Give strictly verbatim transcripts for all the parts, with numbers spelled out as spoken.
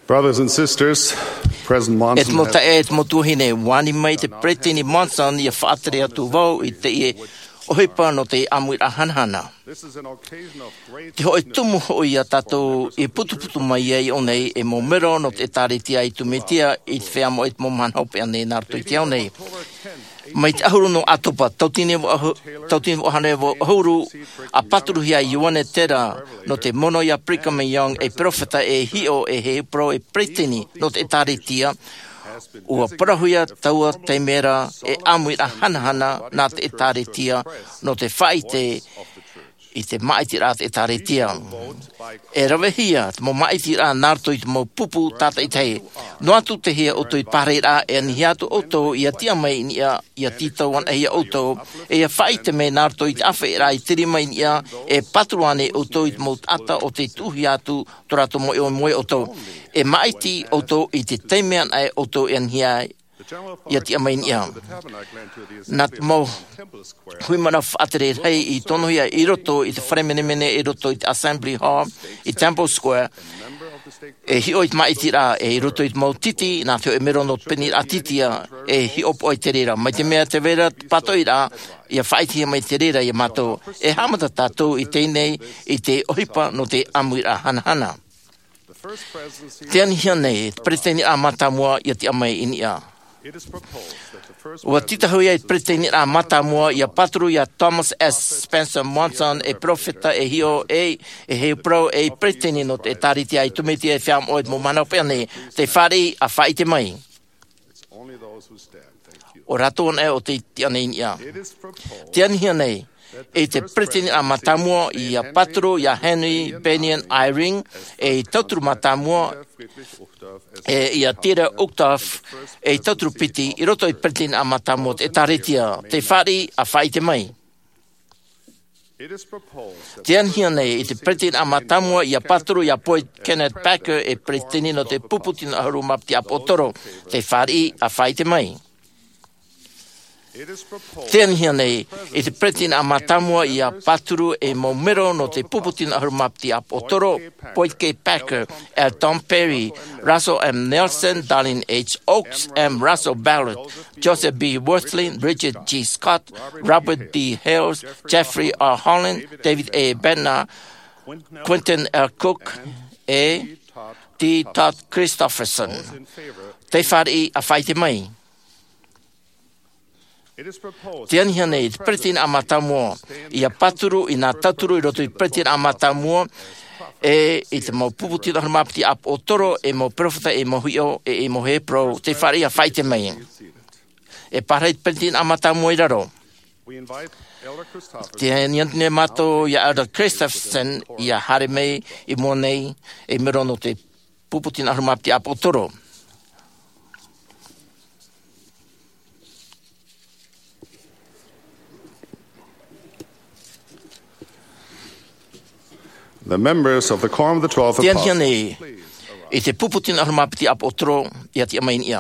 Brothers and sisters, President Monson E te mau taeaʻe, e te mau tuahine, ʻua ani mai te Peresideni Monson ʻia faʻatere atu vau i teie ʻohipa nō te ʻāmuiraʻa hanahana. This is an occasion of great Te hōʻē tumu hoʻi ia tātou i putuputu mai ai i ʻō nei, e mau mero nō te ʻĒtārētia ʻAitumetia i te feiā moʻa i te mau mahana hopeʻa nei nā roto i te ao nei. Mai te ʻahuru nō ʻĀtopa, tauatini vaʻu-, tauatini vaʻu hānere vaʻu ʻahuru, ʻa pāturuhia ai Ioane Tera nō te mono ia Brigham Young ei peropheta, ei hiʻo, ei parau, ei peresideni nō te ʻĒtārētia. ʻUa parauhia taua taime ra ei ʻāmuiraʻa hanahana nā te ʻĒtārētia nō te faʻaʻite i te māʻitiraʻa a te ʻĒtārētia. E ravehia te mau māʻitiraʻa nā roto i te mau pupu tātaʻitahi. Noa atu tei hea ʻoutou i te pārahiraʻa, e anihia atu ʻoutou ʻia tiʻa mai i niʻa, ʻia tītau anaʻe ia ʻoutou, e ʻia faʻaʻite mai nā roto i te ʻāfaʻiraʻa i te rima i niʻa, e pāturu ānei ʻoutou i te mau taʻata ʻo tei tuʻuhia atu tō rātou mau ʻohipa ia ʻoutou. E māʻiti ʻoutou i te taime anaʻe ʻoutou e anihia ai ʻia tiʻa mai i niʻa. Nā te mau hui mana faʻatere rahi i tonohia i roto i te fare menemene, i roto i te Assembly Hall, i Temple Square, e hiʻo i te māʻitiraʻa, e i roto i te mau titi, nā te hōʻē mero nō te Peniraʻa Titia, e hiʻopoʻa i te reira. Mai te mea tē vai ra te pātoʻiraʻa, ʻia faʻaʻitehia mai te reira ia mātou. E haʻamata tātou i teie nei, i te ʻohipa nō te ʻāmuiraʻa hanahana. Tē anihia nei te Peresideni mātāmua ʻia tiʻa mai i niʻa. ʻUa tītauhia te Peresideni mātāmua ʻia pāturu ia Thomas S. Spencer Monson ei peropheta, ei hiʻo, ei, ei parau, ei peresideni nō te ʻĒtārētia ʻAitumetia i te feiā moʻa i te mau mahana hopeʻa nei. Tē fāriʻi ʻa faʻaʻite mai. ʻO rātou anaʻe ʻo tei tiʻa nei i niʻa. Tē anihia nei, e te Peresideni mātāmua ʻia pāturu ia Henry Bennion Eyring ei tauturu mātāmua, e ia Dieter Uchtdorf ei tauturu piti i roto i te Peresideni mātāmua o te ʻĒtārētia. Tē fāriʻi ʻa faʻaʻite mai. Tē anihia nei, e te Peresideni mātāmua ʻia pāturu ia Boyd Kenneth Packer ei peresideni nō te pupu tino ʻahuru mā piti ʻāpoʻotoro. Tē fāriʻi ʻa faʻaʻite mai. Tē anihia nei, e te Peresideni mātāmua ʻia pāturu ei mau mero nō te pupu tino ʻahuru mā piti ʻāpoʻotoro, Boyd K. Packer, L. Tom Perry, Russell M. Nelson, Dallin H. Oaks, M. Russell Ballard, Joseph B. Wirthlin, Richard G. Scott, Robert D. Hales, Jeffrey R. Holland, David A. Bednar, Quentin L. Cook, e D. Todd Christofferson. Tē fāriʻi ʻa faʻaʻite mai. Tē anihia nei, te Peresideni mātāmua ʻia pāturu i nā tauturu i roto i te Peresideni mātāmua, e i te mau pupu tino ʻahuru mā piti ʻāpoʻotoro, ei mau peropheta, ei mau hiʻo, e ei mau parau. Tē fāriʻi ʻa faʻaʻite mai. E pārahi te Peresideni mātāmua i raro. Tē anihia nei mātou ia Elder Christofferson ʻia haere mai i mua nei, ei mero nō te pupu tino ʻahuru mā piti ʻāpoʻotoro. The members of the Quorum of the Twelve Apostles. Tē anihia nei, i te pupu tino ʻahuru mā piti ʻāpoʻotoro, ʻia tiʻa mai i niʻa.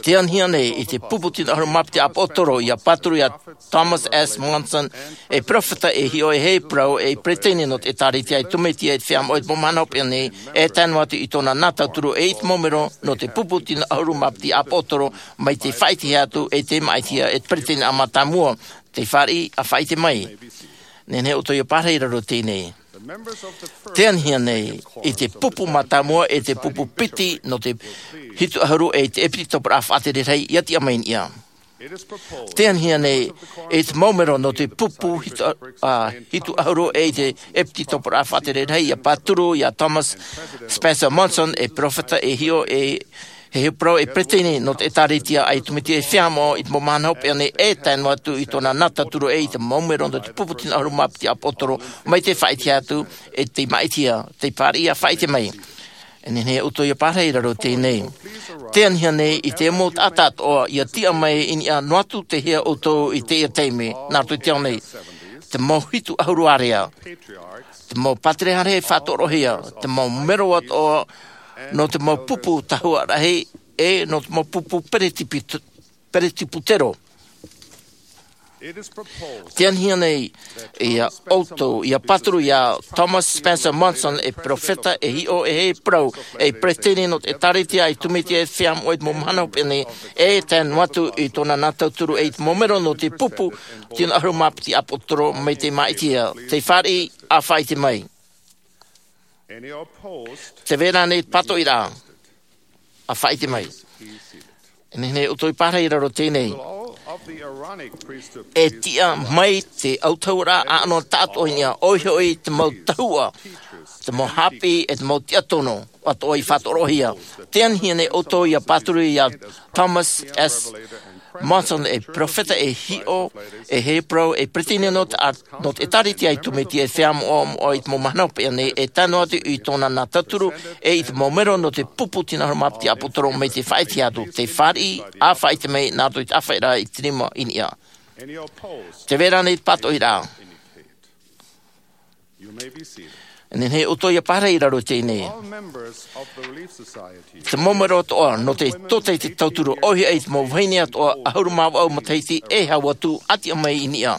Tē anihia nei, i te pupu tino ʻahuru mā piti ʻāpoʻotoro, ʻia pāturu ia Thomas S. Monson ei peropheta, ei hiʻo, ei parau, ei peresideni nō te ʻĒtārētia ʻAitumetia i te feiā moʻa i te mau mahana hopeʻa nei, e tae noa atu i tōna nā tauturu, e i te mau mero nō te pupu tino ʻahuru mā piti ʻāpoʻotoro, mai tē faʻaʻitehia atu, e tē māʻitihia e te Peresideni mātāmua. Tē fāriʻi ʻa faʻaʻite mai. Nehenehe ʻoutou ʻia pārahi i raro i teie nei. Tē anihia nei, i te pupu mātāmua, e te pupu piti nō te hitu ʻahuru, e te ʻEpitoperaʻa Faʻatere Rahi, ʻia tiʻa mai i niʻa. Tē anihia nei, i te mau mero nō te pupu hitu, ā, hitu ʻahuru, e te ʻEpitoperaʻa Faʻatere Rahi, ʻia pāturu ia Thomas Spencer Monson ei peropheta, ei hiʻo, ei parau, ei peresideni nō te ʻĒtārētia ʻAitumetia i te feiā moʻa i te mau mahana hopeʻa nei, e tae noa atu i tōna nā tauturu, e i te mau mero nō te pupu tino ʻahuru mā piti ʻāpoʻotoro, mai tē faʻaʻitehia atu, e tē māʻitihia. Tē fāriʻi ʻa faʻaʻite mai. E nehenehe ʻoutou ʻia pārahi i raro i teie nei. Tē anihia nei, i te mau taʻata atoʻa ʻia tiʻa mai i niʻa, noa atu tei hea ʻoutou i teie taime, nā roto i te ao nei. Te mau hitu ʻahuru ārea. Te mau pātere haere faʻatorohia, te mau mero atoʻa, nō te mau pupu tahua rahi, e nō te mau pupu peretipit-, peretiputero. Tianihia nei ia ʻoutou ia pāturu ia Thomas Spencer Monson, e peropheta, e hiʻo, e hei parau, e peresideni nō te ʻĒtārētia i te Mesia e feiā moʻa i te mau mahana hopeʻa nei, e tae noa atu i tōna nā tauturu e i te mau mero nō te pupu tino ʻahuru mā piti ʻāpōsetolo mai te māʻiti ia. Tē fāriʻi, ʻa faʻaʻite mai. Tē vai ra ānei te pātoʻiraʻa? ʻA faʻaʻite mai. E nehenehe ʻoutou i pārahi i raro i teie nei. E tiʻa mai te autahuʻaraʻa ʻānoʻa taʻatoʻa i niʻa, ʻoia hoʻi te mau tahuʻa, te mau haʻapiʻi, e te mau tiʻa tono atoʻa i faʻatoroʻahia. Tianihia nei ʻoutou ia pāturu ia Thomas S Monson, e peropheta, e hiʻo, e hei parau, e peresideni nō te ʻĒtārētia i te Mesia e feiā moʻa i te mau mahana hopeʻa nei, e tae noa atu i tōna nā tauturu e i te mau mero nō te pupu tino ʻahuru mā piti ʻāpōsetolo mai te faʻaʻite atu. Tē fāriʻi, ʻa faʻaʻite mai nā roto i te ʻāfaʻiraʻa i te rima i niʻa. Tē vai ra ānei te pātoʻiraʻa? E nehenehe ʻoutou ia pārahi i raro i teie nei. Te mau mero atoʻa nō te tōtaiete tauturu, ʻoia hoʻi te mau vahine atoʻa ʻahuru mā vaʻu matahiti e hau atu, ʻa tiʻa mai i niʻa.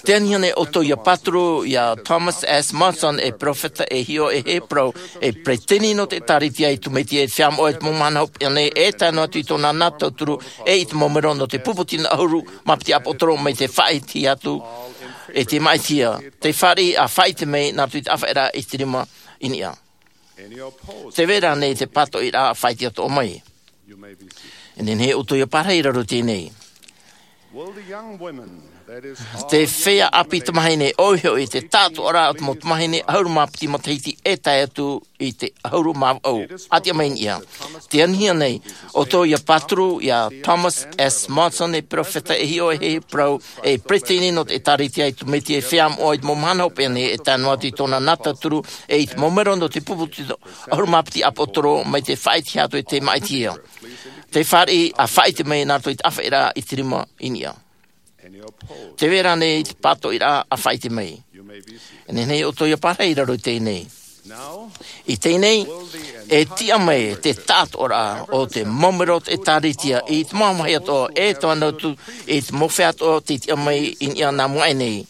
Tianihia nei ʻoutou ia pāturu ia Thomas S Monson, e peropheta, e hiʻo, e hei parau, e peresideni nō te ʻĒtārētia i te Mesia e feiā moʻa i te mau mahana hopeʻa nei, e tae noa atu i tōna nā tauturu e i te mau mero nō te pupu tino ʻahuru mā piti ʻāpōsetolo mai te faʻaʻite atu, e te māʻiti ia. Tē fāriʻi, ʻa faʻaʻite mai nā roto i te ʻāfaʻiraʻa i te rima i niʻa. Tē vai ra ānei te pātoʻiraʻa? ʻA faʻaʻite atoʻa mai. E nehenehe ʻoutou ia pārahi i raro i teie nei. Te feiā ʻāpī tamāhine, ʻoia hoʻi te taʻatoʻaraʻa o te mau tamāhine ʻahuru mā piti matahiti e tae atu i te ʻahuru mā vaʻu, ʻa tiʻa mai i niʻa. Tianihia nei ʻoutou ia pāturu ia Thomas S Monson, e peropheta, e hiʻo, e hei parau, e peresideni nō te ʻĒtārētia i te Mesia e feiā moʻa i te mau mahana hopeʻa nei, e tae noa atu i tōna nā tauturu e i te mau mero nō te pupu tino ʻahuru mā piti ʻāpōsetolo mai te faʻaʻite atu, e te māʻiti ia. Tē fāriʻi, ʻa faʻaʻite mai nā roto i te ʻāfaʻiraʻa i te rima i niʻa. Tē vai ra ānei te pātoʻiraʻa? ʻA faʻaʻite mai. E nehenehe ʻoutou ia pārahi i raro i teie nei. I teie nei, e tiʻa mai te taʻatoʻaraʻa o te mau mero o te ʻĒtārētia i te mau vāhi atoʻa, e tae noa atu i te mau feiā atoʻa tei tiʻa mai i niʻa nā mua aʻe nei.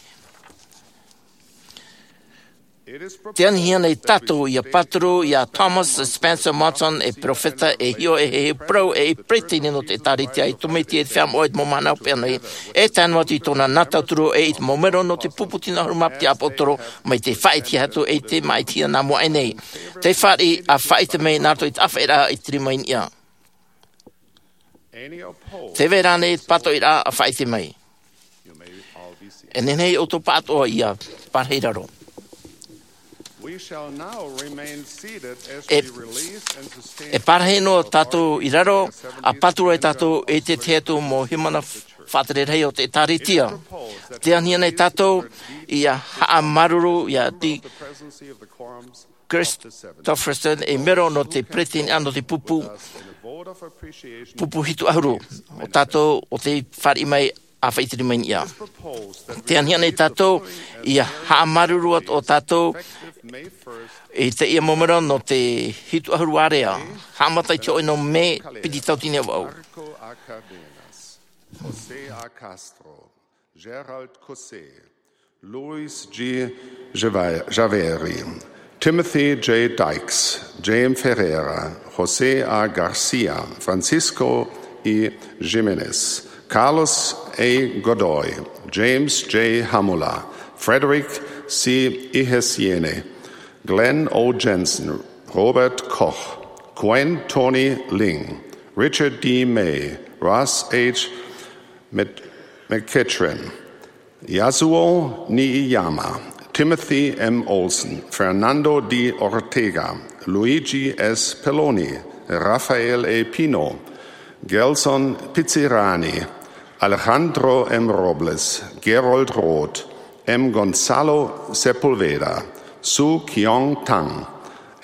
Tianihia nei tātou ia pāturu ia Thomas Spencer Monson, e peropheta, e hiʻo, e hei parau, e peresideni nō te ʻĒtārētia i te Mesia e feiā moʻa i te mau mahana hopeʻa nei, e tae noa atu i tōna nā tauturu e i te mau mero nō te pupu tino ʻahuru mā piti ʻāpōsetolo mai te faʻaʻite atu, e te māʻiti ia, nā mua aʻe nei. Tē fāriʻi, ʻa faʻaʻite mai nā roto i te ʻāfaʻiraʻa i te rima i niʻa. Tē vai ra ānei te pātoʻiraʻa? ʻA faʻaʻite mai. E nehenehe ʻoutou pāʻatoʻa ia pārahi i raro. E pārahi noa tātou i raro, ʻa pāturu ai tātou i te tahi atu mau hīmene faʻatere rahi o te ʻĒtārētia. Tianihia nei tātou ia haʻamāuruuru ia Dick Christofferson, e mero nō te peretiteni nō te pupu, pupu hitu ʻahuru. ʻO tātou, ʻo tē fāriʻi mai, ʻa faʻaʻite mai i niʻa. Tianihia nei tātou ia haʻamāuruuru atoʻa tātou i teie mau mero nō te hitu ʻahuru ārea, haʻamata i te hōʻē nō mē piti tauatini e vaʻu. José A. Castro, Gerald Caussé, Luis G. Java-, Javeri, Timothy J. Dykes, James Ferreira, José A. Garcia, Francisco I. Jiménez, Carlos A. Godoy, James J. Hamula, Frederick C. Ihesiene, Glenn O. Jensen, Robert Koch, Gwen Tony Ling, Richard D. May, Ross H. Mc-, McEachran, Yasuo Nijiyama, Timothy M. Olsen, Fernando D. Ortega, Luigi S. Pelloni, Rafael A. Pino, Gelson Pizzirani, Alejandro M. Robles, Gerold Roth, M. Gonzalo Sepulveda, Soo Kyung Tang,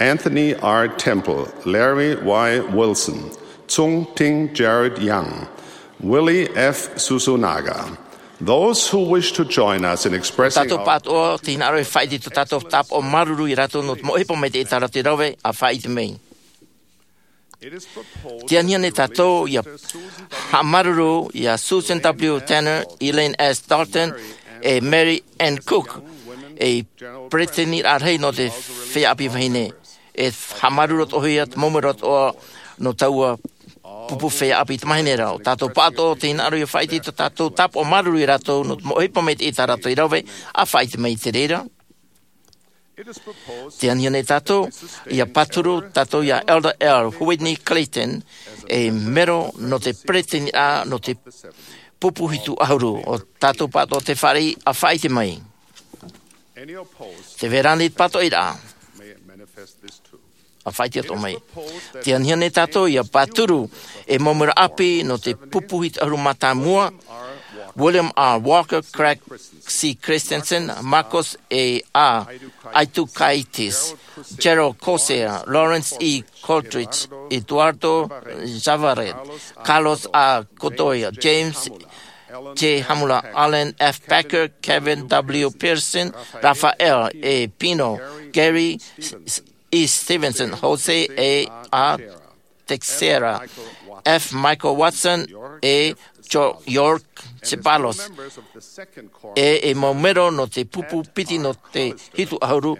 Anthony R. Temple, Larry Y. Wilson, Tsung Ting Jared Young, Willie F. Susunaga. Those who wish to join us in expressing Tātou our pāʻatoʻa, tē hinaʻaro e faʻaʻite i tō tātou tāpaʻo māuruuru ia rātou nō te mau ʻohipa mai te ʻĒtārētia rave, ʻa faʻaʻite mai. Te anihia nei tātou ia haʻamāuruuru ia Susan W. Tanner, Elaine S. Dalton, e Mary Ann Cook, ei peresideni rahi nō te feiā ʻāpī vahine. E haʻamāuruuru atoʻa ia te mau mero atoʻa nō taua pupu feiā ʻāpī tamāhine ra. ʻO tātou pāʻatoʻa tē hinaʻaro ia faʻaʻite i tō tātou tāpaʻo māuruuru ia rātou nō te mau ʻohipa maitaʻi tā rātou i rave, ʻa faʻaʻite mai i te reira. Te anihia nei tātou ia pāturu tātou ia Elder L. Whitney Clayton, ei mero nō te peresideni nō te pupu hitu ʻahuru. ʻO tātou pāʻatoʻa tē fāriʻi, ʻa faʻaʻite mai. Tē vai ra ānei te pātoʻiraʻa? ʻA faʻaʻite atoʻa mai. Te anihia nei tātou ia pāturu ei mau mero ʻāpī nō te pupu hitu ʻahuru mātāmua, William R. Walker, Craig C. Christensen, Marcos A. Aitukaitis, Gerald Corsair, Lawrence E. Coldridge, Eduardo Javaret, Carlos A. Godoy, James J. Hamula, Alan F. Packer, Kevin W. Pearson, Rafael E. Pino, Gary E. Stevenson, Jose A. Teixeira, F. Michael Watson, e George Ceballos, e ei mau mero nō te pupu piti nō te hitu ʻahuru,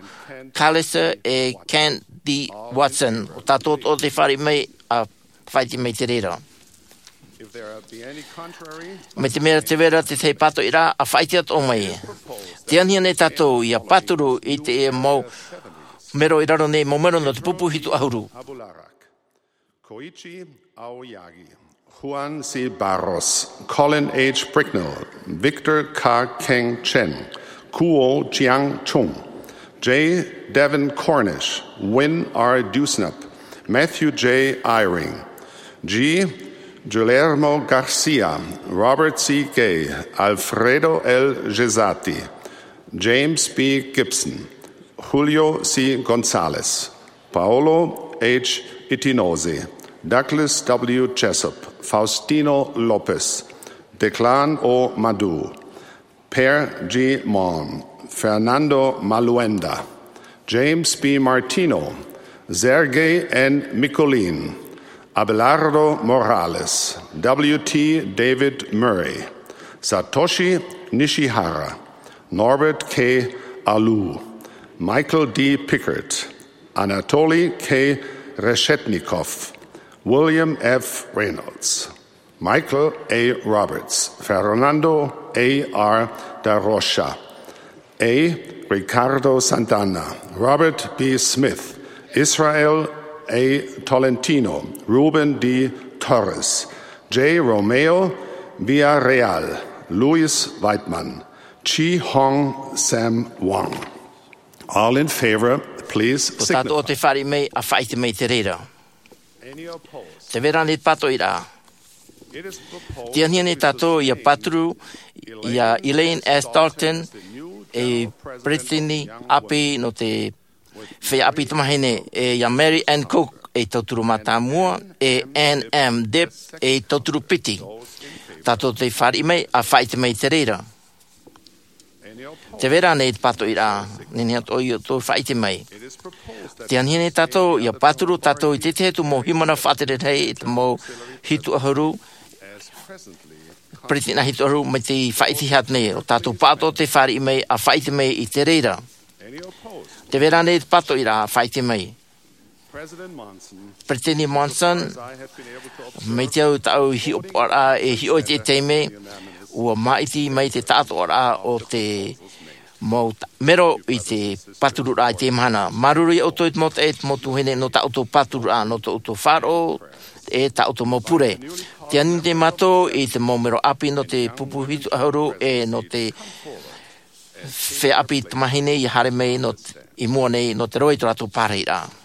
Callister e Ken D. Watson. ʻO tātou atoʻa tē fāriʻi mai, ʻa faʻaʻite mai i te reira. Mai te mea tē vai ra te tahi pātoʻiraʻa, ʻa faʻaʻite atoʻa mai. Te anihia nei tātou ia pāturu i te mau mero i raro nei, mau mero nō te pupu hitu ʻahuru. Koichi Aoyagi, Juan C. Barros, Colin H. Bricknell, Victor Ka Keng Chen, Kuo Chiang Chung, J. Devin Cornish, Wynn R. Dewsnup, Matthew J. Eyring, G. Guillermo Garcia, Robert C. Gay, Alfredo L. Gessati, James B. Gibson, Julio C. Gonzalez, Paolo H. Itinoze, Douglas W. Jessup, Faustino Lopez, Declan O. Madu, Per G. Malm, Fernando Maluenda, James B. Martino, Sergei N. Mikulin, Abelardo Morales, W. T. David Murray, Satoshi Nishihara, Norbert K. Alou, Michael D. Pickert, Anatoly K. Reshetnikov, William F. Reynolds, Michael A. Roberts, Fernando A. R. da Rocha, A. Ricardo Santana, Robert B. Smith, Israel A. Tolentino, Ruben D. Torres, J. Romeo Villarreal, Louis Weidman, Chi Hong Sam Wang. All in favor, please signify. Tātou tē fāriʻi mai, ʻa faʻaʻite mai i te reira. Tē vai ra ānei te pātoʻiraʻa? Te anihia nei tātou ia pāturu ia Elaine S. Dalton, ei peresideni ʻāpī nō te feiā ʻāpī tamāhine, e ia Mary Ann Cook, ei tauturu mātāmua, e Ann M. Dibb, ei tauturu piti. Tātou tē fāriʻi mai, ʻa faʻaʻite mai i te reira. Tē vai ra ānei te pātoʻiraʻa? Nehenehe atoʻa ia ʻoutou faʻaʻite mai. Te anihia nei tātou ia pāturu tātou i te tahi atu mau hīmene faʻatere rahi i te mau hitu ʻahuru, peresideni hitu ʻahuru, mai te faʻaʻite atu nei. ʻO tātou pāʻatoʻa tē fāriʻi mai, ʻa faʻaʻite mai i te reira. Tē vai ra ānei te pātoʻiraʻa? ʻA faʻaʻite mai. Peresideni Monson, mai te au tāʻu hiʻopoʻaraʻa e hiʻo i te taime, ʻua māʻiti mai te taʻatoʻaraʻa o te mau ta-, mero i te pātururaʻa i te mahana. Māuruuru ia ʻoutou e te mau taeaʻe, e te mau tuahine, nō tā ʻoutou pātururaʻa, nō tō ʻoutou faʻaroʻo, e tā ʻoutou mau pure. Tē ani nei mātou i te mau mero ʻāpī nō te pupu hitu ʻahuru, e nō te feiā ʻāpī tamāhine ia haere mai nō te, i mua nei nō te roaʻa i tō rātou pārahiraʻa.